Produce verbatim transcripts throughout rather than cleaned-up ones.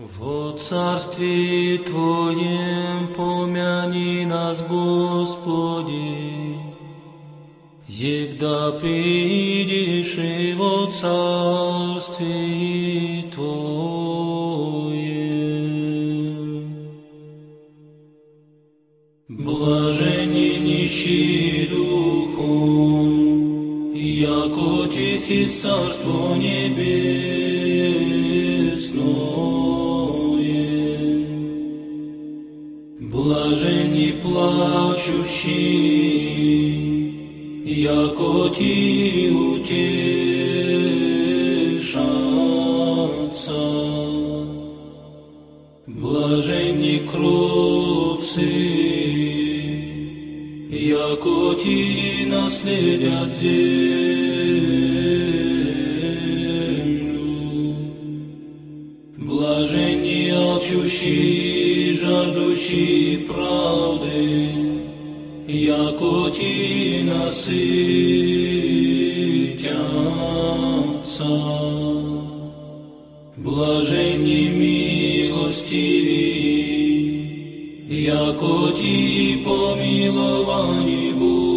Во царстве Твоем помяни нас, Господи, егда придешь и во царстве Твоем. Блажени нищие духом, яко тихи царство небесное. Блажени плачущие, яко ти утешатся. Блажени кроцы, яко ти наследят землю. Блажени алчущие, жаждущие правды, яко ти насытятся. Блажени милостивые, яко ти помиловани будут.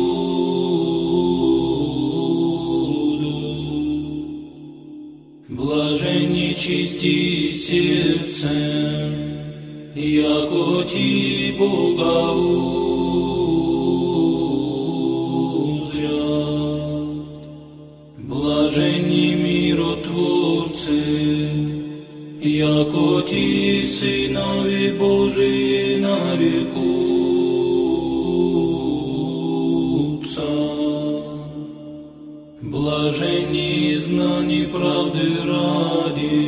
Блажени чисти сердцем, яко ти Бога узрят. Блажени миротворцы, яко ти сынови Божии нарекутся. Блажени изгнани правды ради,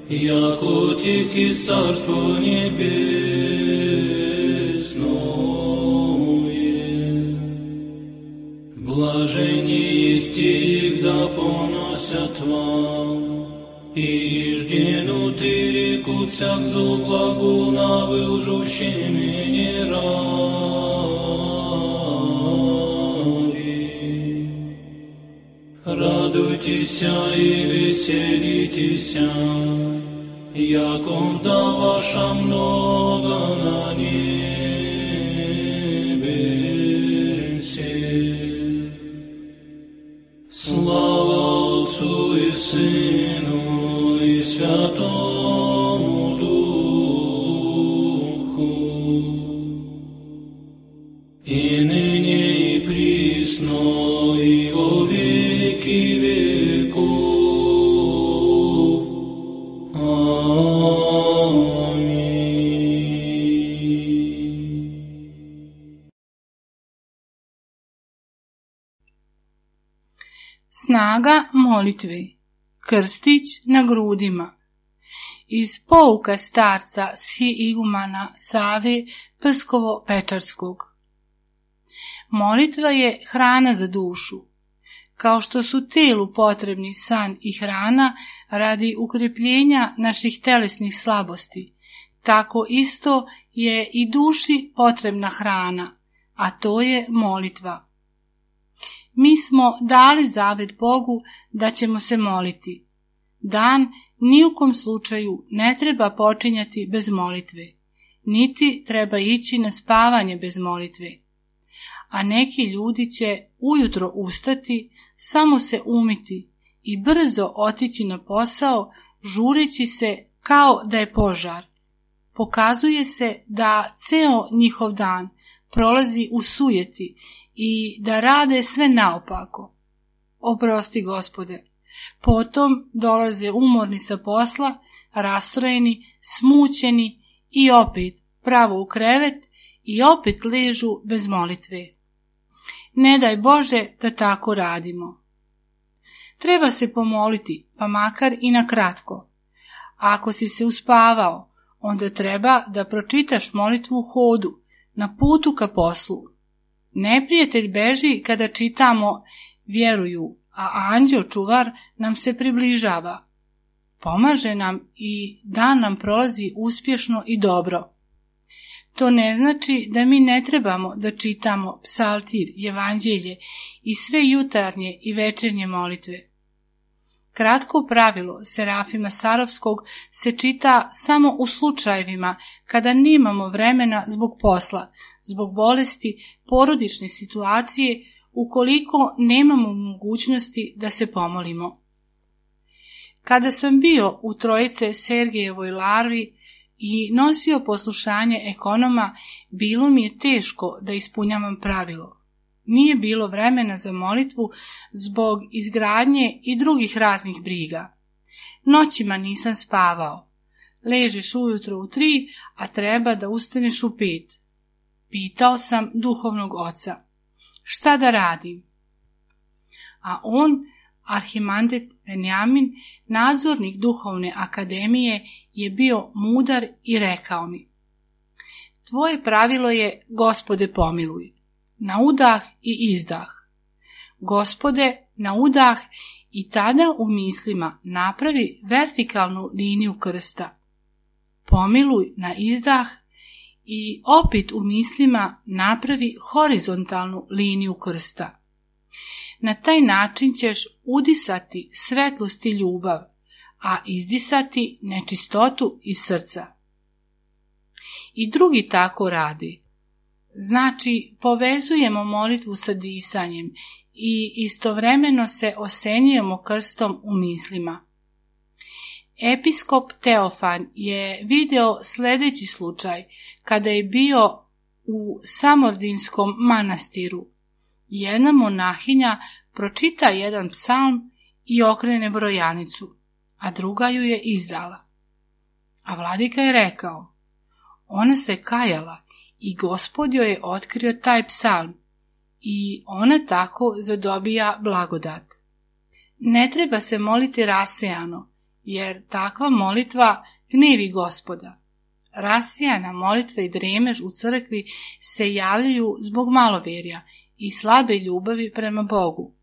яко тихи царство небесное. Блажени есть их, да поносят вам, и жденуты реку всяк зло глагол на вылжущем не ради. Радуйтеся и веселитеся, яко мзда ваша много на небесе. Слава Отцу и Сыну и Святому Духу, и ныне и присно и во веки веков. Snaga molitve. Krstić na grudima. Iz pouka starca sihigumana Save Prskovo-Pečarskog. Molitva je hrana za dušu. Kao što su telu potrebni san i hrana radi ukrepljenja naših telesnih slabosti, tako isto je i duši potrebna hrana, a to je molitva. Mi smo dali zavet Bogu da ćemo se moliti. Dan ni u kom slučaju ne treba počinjati bez molitve, niti treba ići na spavanje bez molitve. A neki ljudi će ujutro ustati, samo se umiti i brzo otići na posao, žureći se kao da je požar. Pokazuje se da ceo njihov dan prolazi u sujeti i da rade sve naopako. Oprosti, Gospode. Potom dolaze umorni sa posla, rastrojeni, smućeni i opet pravo u krevet i opet ležu bez molitve. Ne daj Bože da tako radimo. Treba se pomoliti, pa makar i na kratko. Ako si se uspavao, onda treba da pročitaš molitvu u hodu, na putu ka poslu. Neprijatelj beži kada čitamo vjeruju, a anđeo čuvar nam se približava. Pomaže nam i dan nam prolazi uspješno i dobro. To ne znači da mi ne trebamo da čitamo psaltir, evanđelje i sve jutarnje i večernje molitve. Kratko pravilo Serafima Sarovskog se čita samo u slučajevima kada nemamo vremena zbog posla, zbog bolesti, porodične situacije, ukoliko nemamo mogućnosti da se pomolimo. Kada sam bio u trojice Sergejevoj larvi i nosio poslušanje ekonoma, bilo mi je teško da ispunjavam pravilo. Nije bilo vremena za molitvu zbog izgradnje i drugih raznih briga. Noćima nisam spavao. Ležeš ujutro u tri, a treba da ustaneš u pet. Pitao sam duhovnog oca, šta da radim? A on, arhimandrit Benjamin, nadzornik duhovne akademije, je bio mudar i rekao mi, tvoje pravilo je Gospode pomiluj, na udah i izdah. Gospode, na udah i tada u mislima napravi vertikalnu liniju krsta. Pomiluj na izdah i opet u mislima napravi horizontalnu liniju krsta. Na taj način ćeš udisati svetlost i ljubav, a izdisati nečistotu iz srca. I drugi tako radi. Znači, povezujemo molitvu sa disanjem i istovremeno se osenjujemo krstom u mislima. Episkop Teofan je video sljedeći slučaj kada je bio u Samordinskom manastiru. Jedna monahinja pročita jedan psalm i okrene brojanicu, a druga ju je izdala. A vladika je rekao, ona se kajala i Gospod joj je otkrio taj psalm i ona tako zadobija blagodat. Ne treba se moliti rasejano, jer takva molitva gnevi Gospoda. Rasejana molitva i dremež u crkvi se javljaju zbog maloverja i slabe ljubavi prema Bogu.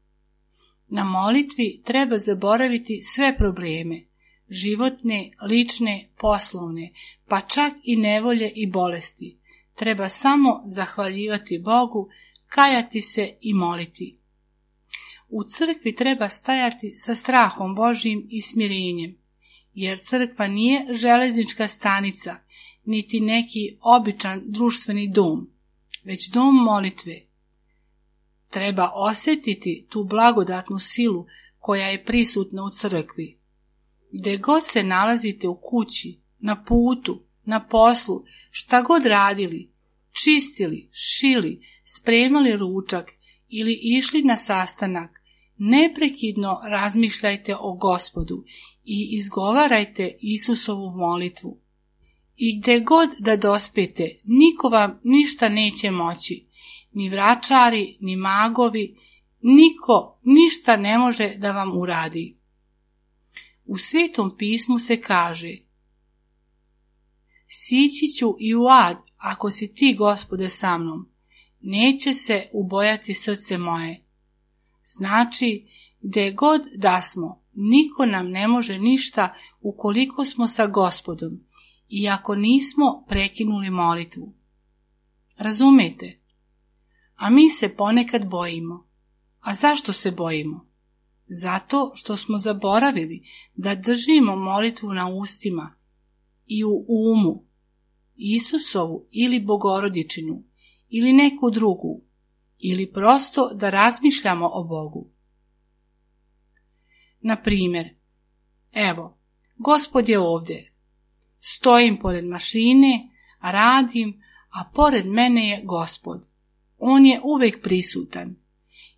Na molitvi treba zaboraviti sve probleme, životne, lične, poslovne, pa čak i nevolje i bolesti. Treba samo zahvaljivati Bogu, kajati se i moliti. U crkvi treba stajati sa strahom Božjim i smirenjem, jer crkva nije železnička stanica, niti neki običan društveni dom, već dom molitve. Treba osjetiti tu blagodatnu silu koja je prisutna u crkvi. Gde god se nalazite u kući, na putu, na poslu, šta god radili, čistili, šili, spremali ručak ili išli na sastanak, neprekidno razmišljajte o Gospodu i izgovarajte Isusovu molitvu. I gde god da dospete, niko vam ništa neće moći, ni vračari, ni magovi, niko ništa ne može da vam uradi. U Svetom pismu se kaže, sići ću i u ad, ako si ti, Gospode, sa mnom, neće se ubojati srce moje. Znači, gde god da smo, niko nam ne može ništa ukoliko smo sa Gospodom i ako nismo prekinuli molitvu. Razumete? A mi se ponekad bojimo. A zašto se bojimo? Zato što smo zaboravili da držimo molitvu na ustima i u umu, Isusovu ili Bogorodičinu, ili neku drugu, ili prosto da razmišljamo o Bogu. Na primjer, evo, Gospod je ovdje. Stojim pored mašine, radim, a pored mene je Gospod. On je uvijek prisutan,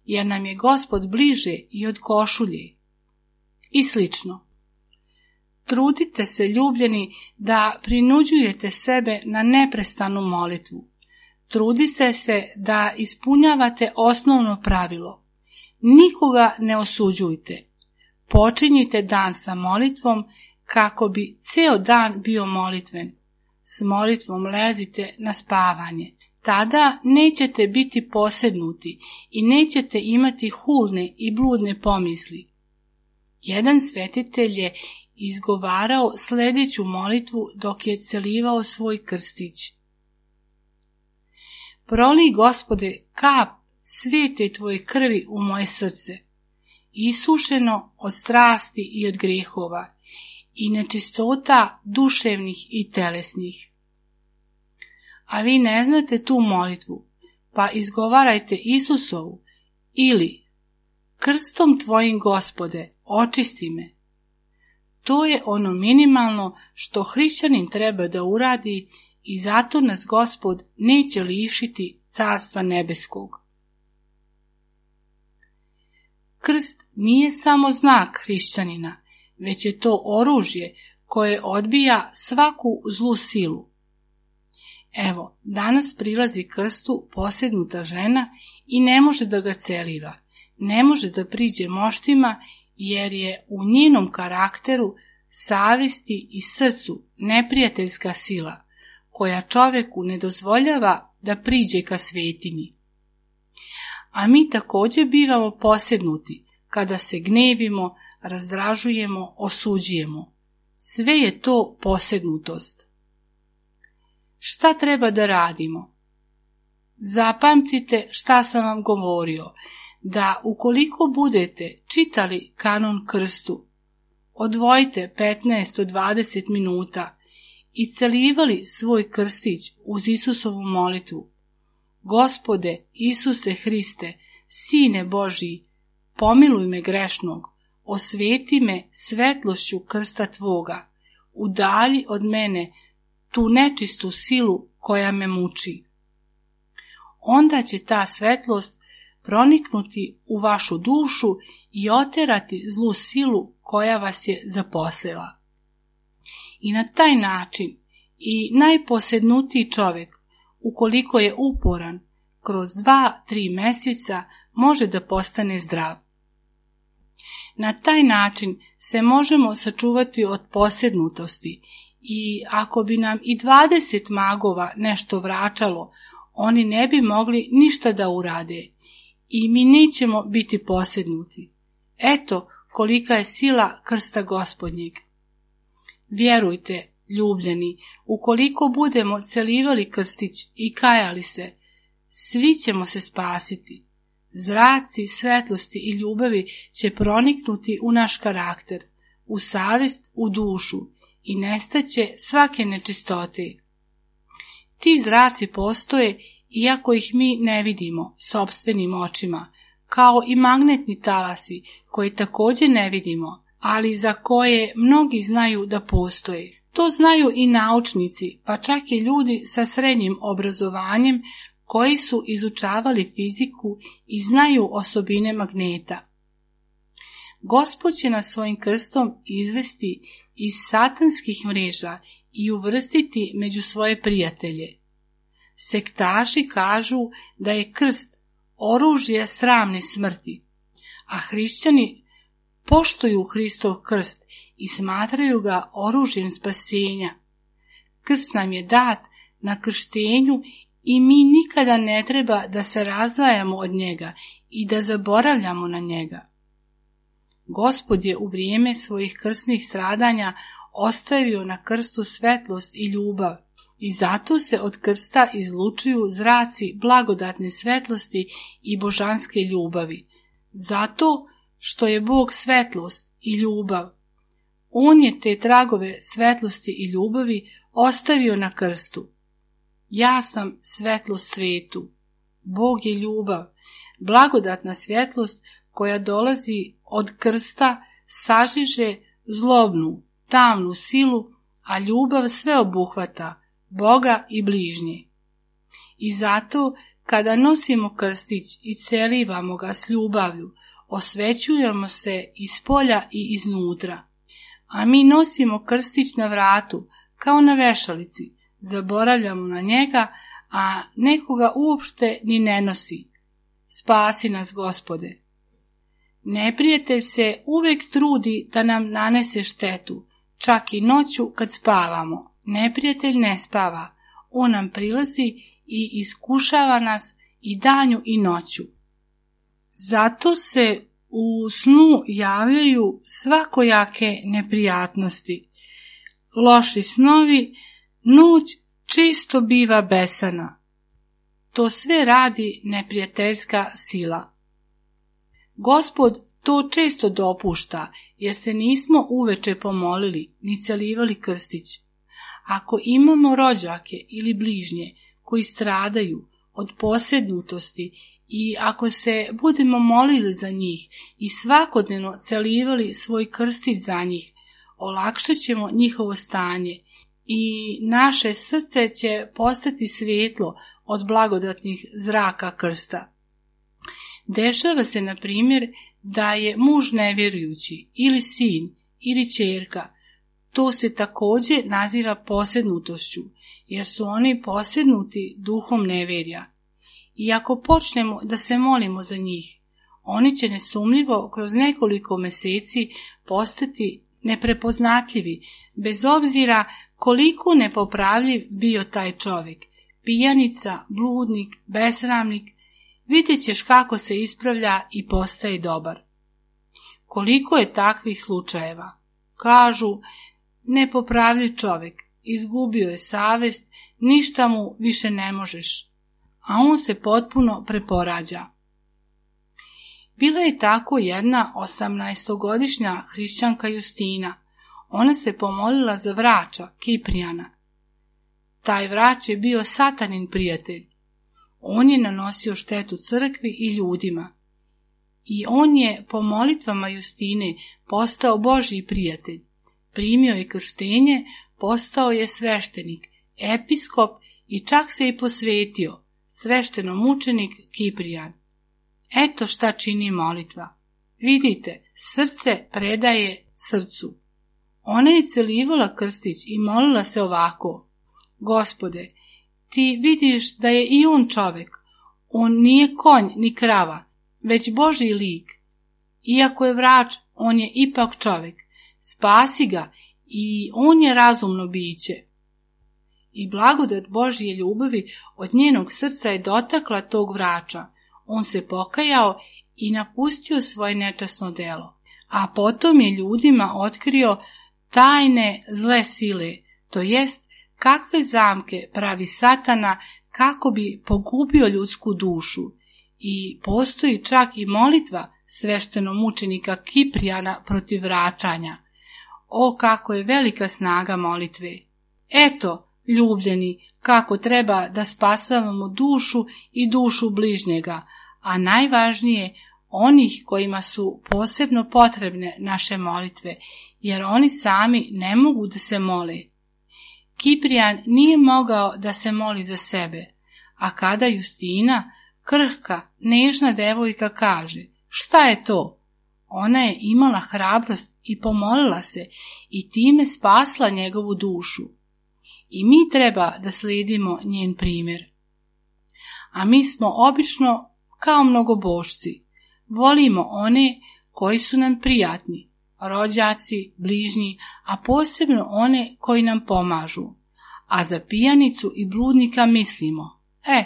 jer nam je Gospod bliže i od košulje. I slično. Trudite se, ljubljeni, da prinuđujete sebe na neprestanu molitvu. Trudite se da ispunjavate osnovno pravilo. Nikoga ne osuđujte. Počinjite dan sa molitvom kako bi ceo dan bio molitven. S molitvom lezite na spavanje. Tada nećete biti posednuti i nećete imati hulne i bludne pomisli. Jedan svetitelj je izgovarao sljedeću molitvu dok je celivao svoj krstić. Prolij, Gospode, kap svete tvoje krvi u moje srce isušeno od strasti i od grehova i nečistota duševnih i telesnih. A vi ne znate tu molitvu, pa izgovarajte Isusovu ili krstom tvojim, Gospode, očisti me. To je ono minimalno što hrišćanin treba da uradi i zato nas Gospod neće lišiti carstva nebeskog. Krst nije samo znak hrišćanina, već je to oružje koje odbija svaku zlu silu. Evo, danas prilazi krstu posjednuta žena i ne može da ga celiva, ne može da priđe moštima jer je u njenom karakteru, savesti i srcu neprijateljska sila, koja čoveku ne dozvoljava da priđe ka svetinji. A mi također bivamo posjednuti kada se gnevimo, razdražujemo, osuđujemo. Sve je to posjednutost. Šta treba da radimo? Zapamtite šta sam vam govorio, da ukoliko budete čitali kanon krstu, odvojite petnaest do dvadeset minuta i celivali svoj krstić uz Isusovu molitvu. Gospode Isuse Hriste, Sine Božiji, pomiluj me grešnog, osveti me svetlošću krsta Tvoga, udalji od mene tu nečistu silu koja me muči. Onda će ta svetlost proniknuti u vašu dušu i oterati zlu silu koja vas je zaposela. I na taj način i najposjednutiji čovjek, ukoliko je uporan, kroz dva, tri mjeseca može da postane zdrav. Na taj način se možemo sačuvati od posjednutosti i ako bi nam i dvadeset magova nešto vraćalo, oni ne bi mogli ništa da urade i mi nećemo biti posjednuti. Eto kolika je sila krsta Gospodnjeg. Vjerujte, ljubljeni, ukoliko budemo celivali krstić i kajali se, svi ćemo se spasiti. Zraci svetlosti i ljubavi će proniknuti u naš karakter, u savest, u dušu i nestaće svake nečistote. Ti zraci postoje iako ih mi ne vidimo sopstvenim očima, kao i magnetni talasi koji također ne vidimo, ali za koje mnogi znaju da postoje. To znaju i naučnici, pa čak i ljudi sa srednjim obrazovanjem koji su izučavali fiziku i znaju osobine magneta. Gospod će nas svojim krstom izvesti iz satanskih mreža i uvrstiti među svoje prijatelje. Sektaši kažu da je krst oružje sramne smrti, a hrišćani poštuju Hristov krst i smatraju ga oružjem spasenja. Krst nam je dat na krštenju i mi nikada ne treba da se razdvajamo od njega i da zaboravljamo na njega. Gospod je u vrijeme svojih krsnih stradanja ostavio na krstu svetlost i ljubav i zato se od krsta izlučuju zraci blagodatne svetlosti i božanske ljubavi. Zato što je Bog svetlost i ljubav. On je te tragove svetlosti i ljubavi ostavio na krstu. Ja sam svetlost svetu. Bog je ljubav, blagodatna svjetlost koja dolazi od krsta sažiže zlobnu, tamnu silu, a ljubav sve obuhvata, Boga i bližnje. I zato, kada nosimo krstić i celivamo ga s ljubavlju, osvećujemo se iz polja i iznutra. A mi nosimo krstić na vratu, kao na vešalici, zaboravljamo na njega, a nekoga uopšte ni ne nosi. Spasi nas, Gospode. Neprijatelj se uvijek trudi da nam nanese štetu, čak i noću kad spavamo. Neprijatelj ne spava, on nam prilazi i iskušava nas i danju i noću. Zato se u snu javljaju svakojake neprijatnosti. Loši snovi, noć čisto biva besana. To sve radi neprijateljska sila. Gospod to često dopušta, jer se nismo uveče pomolili ni celivali krstić. Ako imamo rođake ili bližnje koji stradaju od posjednutosti i ako se budemo molili za njih i svakodnevno celivali svoj krstić za njih, olakšat ćemo njihovo stanje i naše srce će postati svijetlo od blagodatnih zraka krsta. Dešava se, na primjer, da je muž nevjerujući ili sin ili ćerka. To se također naziva posjednutošću, jer su oni posjednuti duhom nevjerja. I ako počnemo da se molimo za njih, oni će nesumnjivo kroz nekoliko mjeseci postati neprepoznatljivi, bez obzira koliko nepopravljiv bio taj čovjek, pijanica, bludnik, besramnik, vidjet ćeš kako se ispravlja i postaje dobar. Koliko je takvih slučajeva? Kažu, nepopravljiv čovjek, izgubio je savest, ništa mu više ne možeš, a on se potpuno preporađa. Bila je tako jedna osamnaestogodišnja hrišćanka Justina. Ona se pomolila za vrača, Kiprijana. Taj vrač je bio satanin prijatelj. On je nanosio štetu crkvi i ljudima. I on je po molitvama Justine postao Božji prijatelj. Primio je krštenje, postao je sveštenik, episkop i čak se i posvetio, sveštenomučenik Kiprijan. Eto šta čini molitva. Vidite, srce predaje srcu. Ona je celivala krstić i molila se ovako: Gospode, ti vidiš da je i on čovjek. On nije konj ni krava, već Božji lik. Iako je vrač, on je ipak čovjek. Spasi ga i on je razumno biće. I blagodat Božje ljubavi od njenog srca je dotakla tog vrača. On se pokajao i napustio svoje nečasno delo, a potom je ljudima otkrio tajne zle sile, to jest kakve zamke pravi Satana kako bi pogubio ljudsku dušu. I postoji čak i molitva sveštenomučenika Kiprijana protiv vraćanja. O, kako je velika snaga molitve! Eto, ljubljeni, kako treba da spasavamo dušu i dušu bližnjega, a najvažnije onih kojima su posebno potrebne naše molitve, jer oni sami ne mogu da se mole. Kiprijan nije mogao da se moli za sebe, a kada Justina, krhka, nežna devojka, kaže: šta je to? Ona je imala hrabrost i pomolila se i time spasla njegovu dušu. I mi treba da slijedimo njen primjer. A mi smo obično kao mnogobošci. Volimo one koji su nam prijatni, rođaci, bližnji, a posebno one koji nam pomažu. A za pijanicu i bludnika mislimo: e,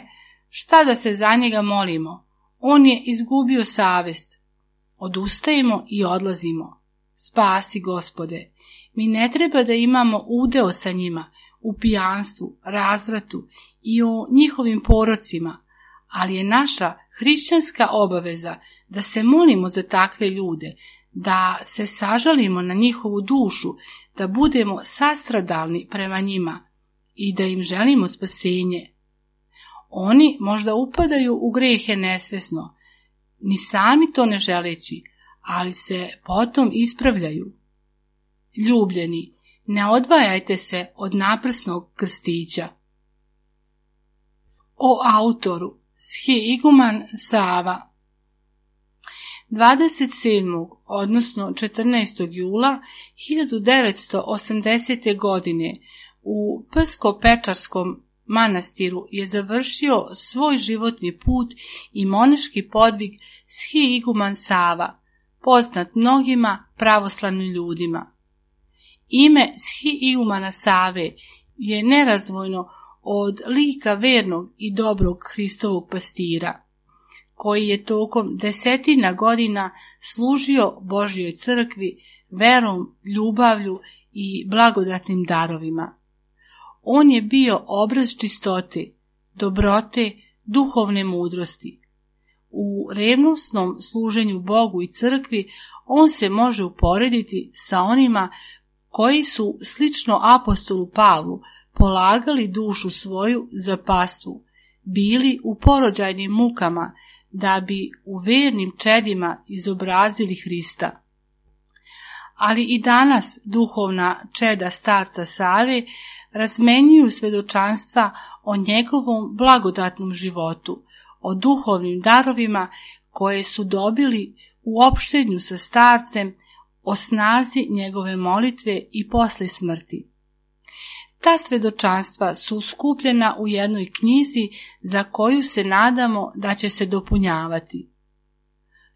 šta da se za njega molimo? On je izgubio savest. Odustajemo i odlazimo. Spasi, Gospode. Mi ne treba da imamo udeo sa njima u pijanstvu, razvratu i o njihovim porocima, ali je naša hrišćanska obaveza da se molimo za takve ljude, da se sažalimo na njihovu dušu, da budemo sastradalni prema njima i da im želimo spasenje. Oni možda upadaju u grehe nesvesno, ni sami to ne želeći, ali se potom ispravljaju. Ljubljeni, ne odvajajte se od naprsnog krstića. O autoru, Schi-iguman Sava. dvadeset sedmog odnosno četrnaestog jula hiljadu devetsto osamdesete. godine u Psko-Pečarskom manastiru je završio svoj životni put i monaški podvig Schi-iguman Sava, poznat mnogima pravoslavnim ljudima. Ime Schi-igumana Save je nerazdvojno od lika vernog i dobrog Hristovog pastira, koji je tokom desetina godina služio Božjoj crkvi verom, ljubavlju i blagodatnim darovima. On je bio obraz čistote, dobrote, duhovne mudrosti. U revnosnom služenju Bogu i crkvi on se može uporediti sa onima koji su, slično apostolu Pavlu, polagali dušu svoju za pastvu, bili u porođajnim mukama, da bi u vernim čedima izobrazili Hrista. Ali i danas duhovna čeda starca Save razmenjuju svedočanstva o njegovom blagodatnom životu, o duhovnim darovima koje su dobili u opštenju sa starcem, o snazi njegove molitve i posle smrti. Ta svedočanstva su skupljena u jednoj knjizi za koju se nadamo da će se dopunjavati.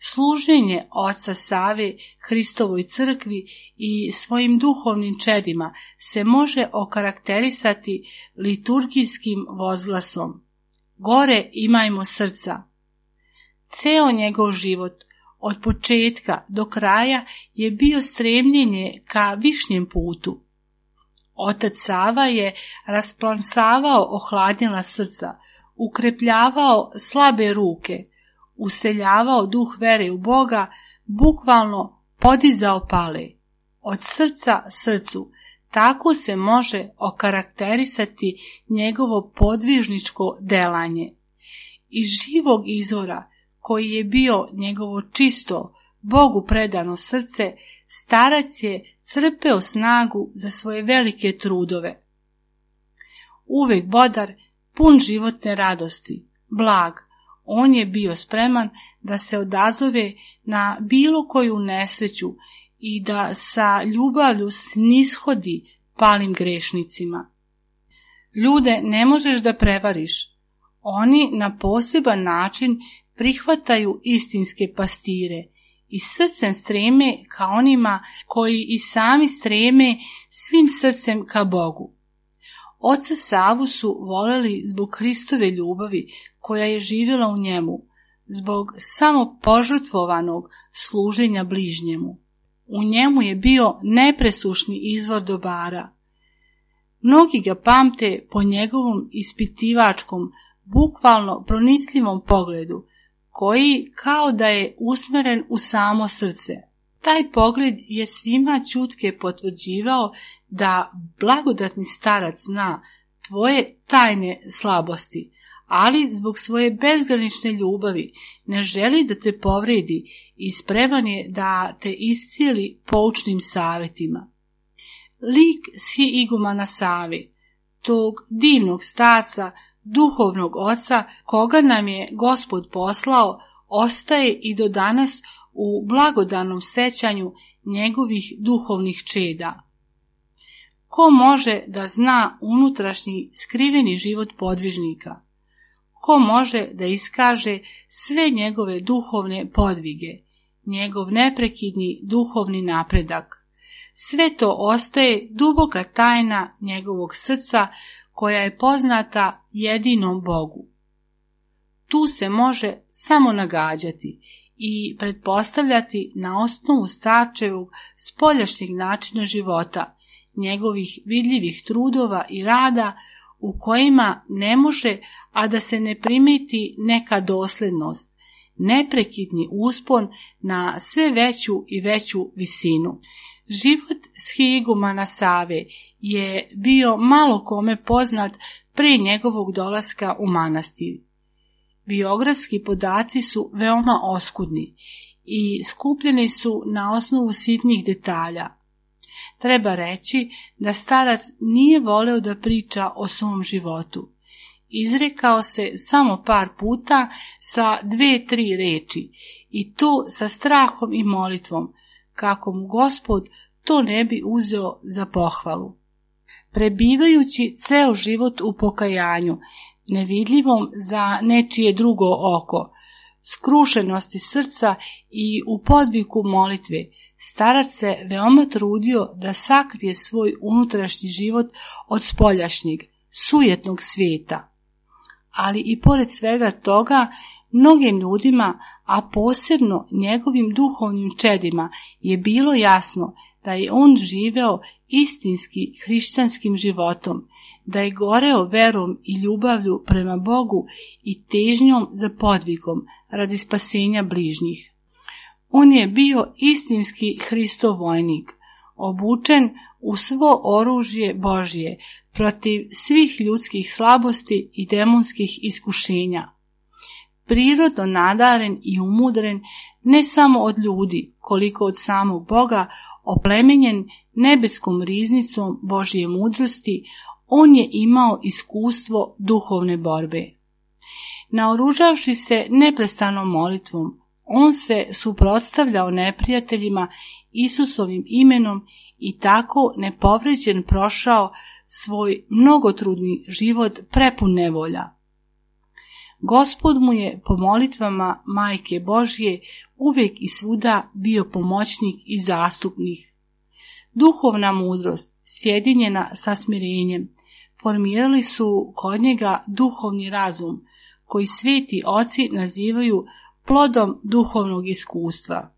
Služenje oca Save Hristovoj crkvi i svojim duhovnim čedima se može okarakterisati liturgijskim vozglasom: gore imajmo srca. Ceo njegov život, od početka do kraja, je bio stremljenje ka višnjem putu. Otac Sava je rasplansavao ohladnjela srca, ukrepljavao slabe ruke, useljavao duh vere u Boga, bukvalno podizao pale. Od srca srcu, tako se može okarakterisati njegovo podvižničko delanje. Iz živog izvora, koji je bio njegovo čisto, Bogu predano srce, starac je crpeo snagu za svoje velike trudove. Uvek bodar, pun životne radosti, blag, on je bio spreman da se odazove na bilo koju nesreću i da sa ljubavlju snishodi palim grešnicima. Ljude ne možeš da prevariš. Oni na poseban način prihvataju istinske pastire i srcem streme ka onima koji i sami streme svim srcem ka Bogu. Oca Savu su voleli zbog Hristove ljubavi koja je živjela u njemu, zbog samopožrtvovanog služenja bližnjemu. U njemu je bio nepresušni izvor dobara. Mnogi ga pamte po njegovom ispitivačkom, bukvalno pronicljivom pogledu, koji kao da je usmeren u samo srce. Taj pogled je svima ćutke potvrđivao da blagodatni starac zna tvoje tajne slabosti, ali zbog svoje bezgranične ljubavi ne želi da te povredi i spreman je da te iscijeli poučnim savjetima. Lik svi-igumana Save, tog divnog starca, duhovnog oca, koga nam je Gospod poslao, ostaje i do danas u blagodanom sećanju njegovih duhovnih čeda. Ko može da zna unutrašnji skriveni život podvižnika? Ko može da iskaže sve njegove duhovne podvige, njegov neprekidni duhovni napredak? Sve to ostaje duboka tajna njegovog srca, koja je poznata jedinom Bogu. Tu se može samo nagađati i pretpostavljati na osnovu starčevog spoljašnjeg načina života, njegovih vidljivih trudova i rada u kojima ne može, a da se ne primeti neka doslednost, neprekidni uspon na sve veću i veću visinu. Život svi-igumana Save je bio malo kome poznat pre njegovog dolaska u manastir. Biografski podaci su veoma oskudni i skupljeni su na osnovu sitnih detalja. Treba reći da starac nije voleo da priča o svom životu. Izrekao se samo par puta sa dve, tri reči, i to sa strahom i molitvom, kako mu Gospod to ne bi uzeo za pohvalu. Prebivajući ceo život u pokajanju, nevidljivom za nečije drugo oko, skrušenosti srca i u podviku molitve, starac se veoma trudio da sakrije svoj unutrašnji život od spoljašnjeg, sujetnog svijeta. Ali i pored svega toga, mnogim ljudima, a posebno njegovim duhovnim čedima, je bilo jasno da je on živeo istinski hrišćanskim životom, da je goreo verom i ljubavlju prema Bogu i težnjom za podvigom radi spasenja bližnjih. On je bio istinski Hristov vojnik, obučen u svo oružje Božje protiv svih ljudskih slabosti i demonskih iskušenja. Prirodno nadaren i umudren ne samo od ljudi, koliko od samog Boga, oplemenjen nebeskom riznicom Božje mudrosti, on je imao iskustvo duhovne borbe. Naoružavši se neprestanom molitvom, on se suprotstavljao neprijateljima Isusovim imenom i tako nepovređen prošao svoj mnogotrudni život prepun nevolja. Gospod mu je po molitvama Majke Božje uvijek i svuda bio pomoćnik i zastupnik. Duhovna mudrost, sjedinjena sa smirenjem, formirali su kod njega duhovni razum, koji sveti oci nazivaju plodom duhovnog iskustva.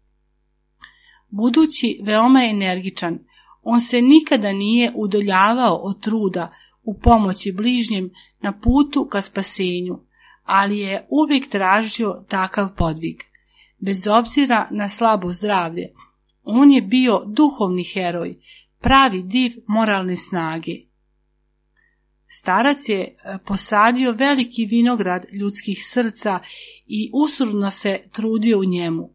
Budući veoma energičan, on se nikada nije udaljavao od truda u pomoći bližnjem na putu ka spasenju, ali je uvijek tražio takav podvig. Bez obzira na slabo zdravlje, on je bio duhovni heroj, pravi div moralne snage. Starac je posadio veliki vinograd ljudskih srca i usrdno se trudio u njemu.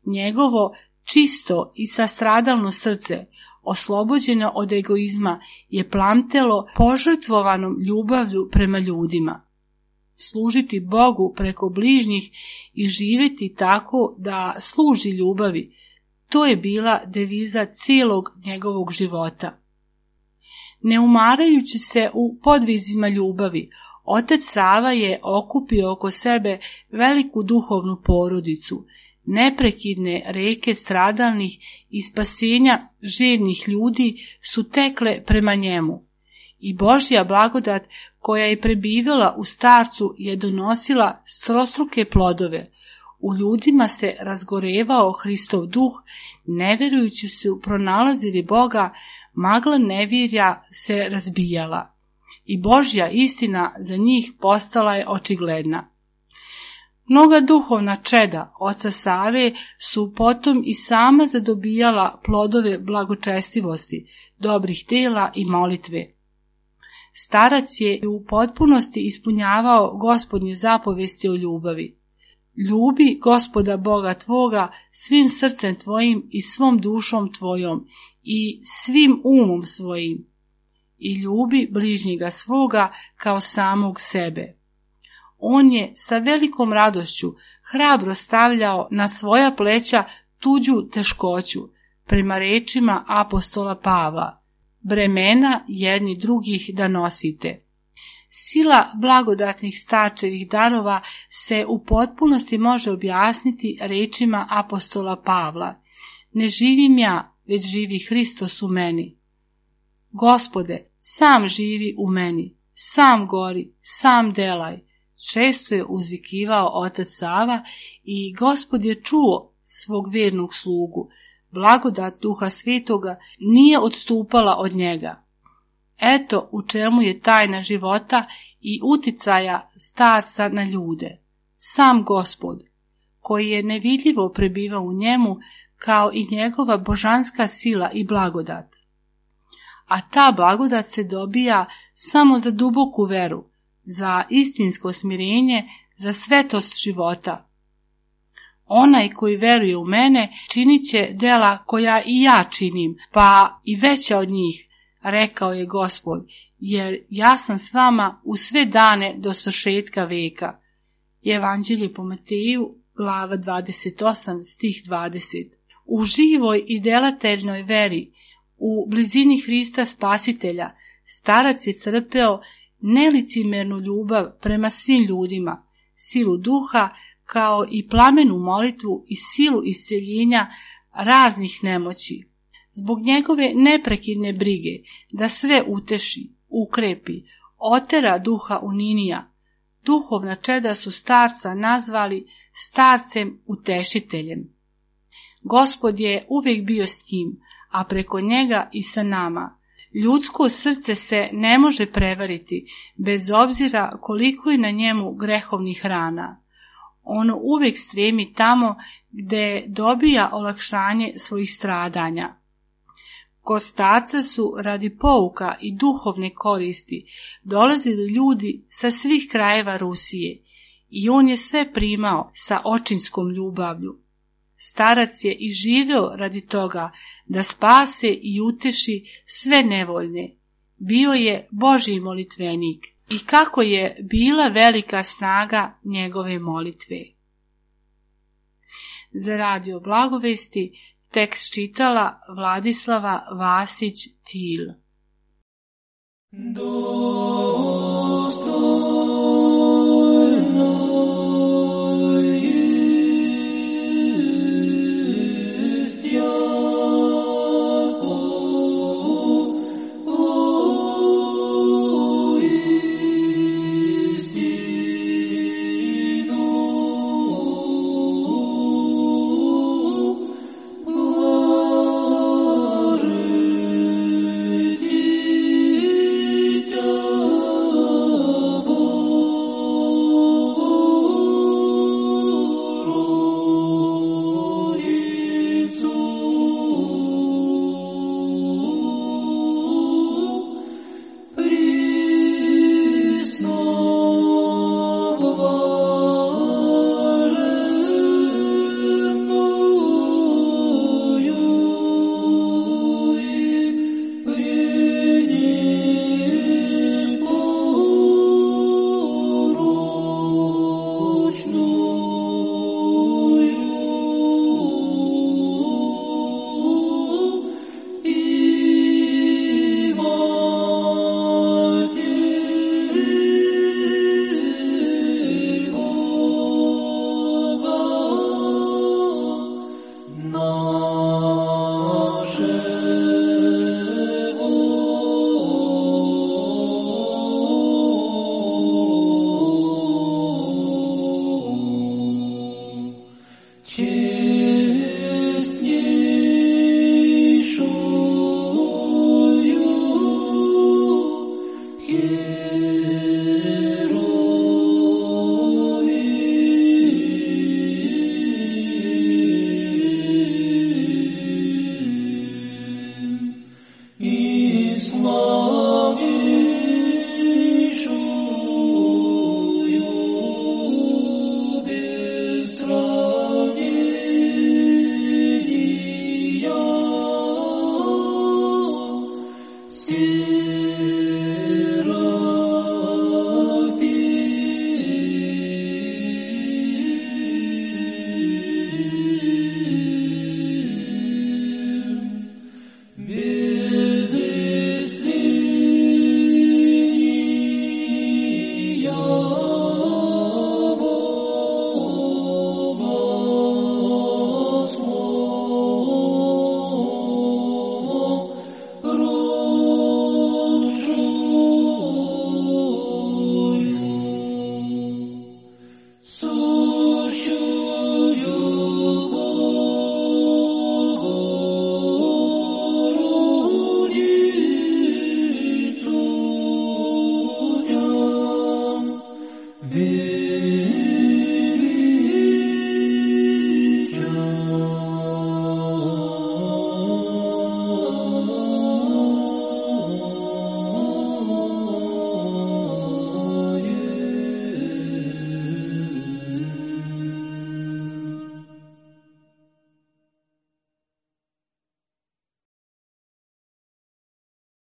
Njegovo čisto i sastradalno srce, oslobođeno od egoizma, je plamtelo požrtvovanom ljubavlju prema ljudima. Služiti Bogu preko bližnjih i živjeti tako da služi ljubavi, to je bila deviza cijelog njegovog života. Ne umarajući se u podvizima ljubavi, otac Sava je okupio oko sebe veliku duhovnu porodicu. Neprekidne reke stradalnih i spasenja žednih ljudi su tekle prema njemu. I Božja blagodat koja je prebivala u starcu je donosila strostruke plodove. U ljudima se razgorevao Hristov duh, nevjerujući su pronalazili Boga, magla nevjerja se razbijala i Božja istina za njih postala je očigledna. Mnoga duhovna čeda oca Save su potom i sama zadobijala plodove blagočestivosti, dobrih dela i molitve. Starac je u potpunosti ispunjavao Gospodnje zapovesti o ljubavi. Ljubi Gospoda Boga tvoga svim srcem tvojim i svom dušom tvojom i svim umom svojim i ljubi bližnjega svoga kao samog sebe. On je sa velikom radošću hrabro stavljao na svoja pleća tuđu teškoću, prema rečima apostola Pavla, bremena jedni drugih da nosite. Sila blagodatnih starčevih darova se u potpunosti može objasniti rečima apostola Pavla. Ne živim ja, već živi Hristos u meni. Gospode, sam živi u meni, sam gori, sam delaj, često je uzvikivao otac Sava i Gospod je čuo svog vjernog slugu. Blagodat Duha Svetoga nije odstupala od njega. Eto u čemu je tajna života i uticaja starca na ljude. Sam Gospod, koji je nevidljivo prebivao u njemu, kao i njegova božanska sila i blagodat. A ta blagodat se dobija samo za duboku veru, za istinsko smirenje, za svetost života. Onaj koji veruje u mene činit će dela koja i ja činim, pa i veća od njih, rekao je Gospod, jer ja sam s vama u sve dane do svršetka veka. Evanđelje po Mateju, glava dvadeset osam, stih dvadeset. U živoj i delateljnoj veri, u blizini Hrista Spasitelja, starac je crpeo nelicimernu ljubav prema svim ljudima, silu duha, kao i plamenu molitvu i silu isceljenja raznih nemoći. Zbog njegove neprekidne brige da sve uteši, ukrepi, otera duha uninija, duhovna čeda su starca nazvali starcem utešiteljem. Gospod je uvijek bio s njim, a preko njega i sa nama. Ljudsko srce se ne može prevariti, bez obzira koliko je na njemu grehovnih rana. Ono uvijek stremi tamo gde dobija olakšanje svojih stradanja. Kod starca su radi pouka i duhovne koristi dolazili ljudi sa svih krajeva Rusije i on je sve primao sa očinskom ljubavlju. Starac je i živeo radi toga da spase i uteši sve nevoljne. Bio je Božji molitvenik i kako je bila velika snaga njegove molitve. Za Radio Blagovesti tekst čitala Vladislava Vasić-Til. Do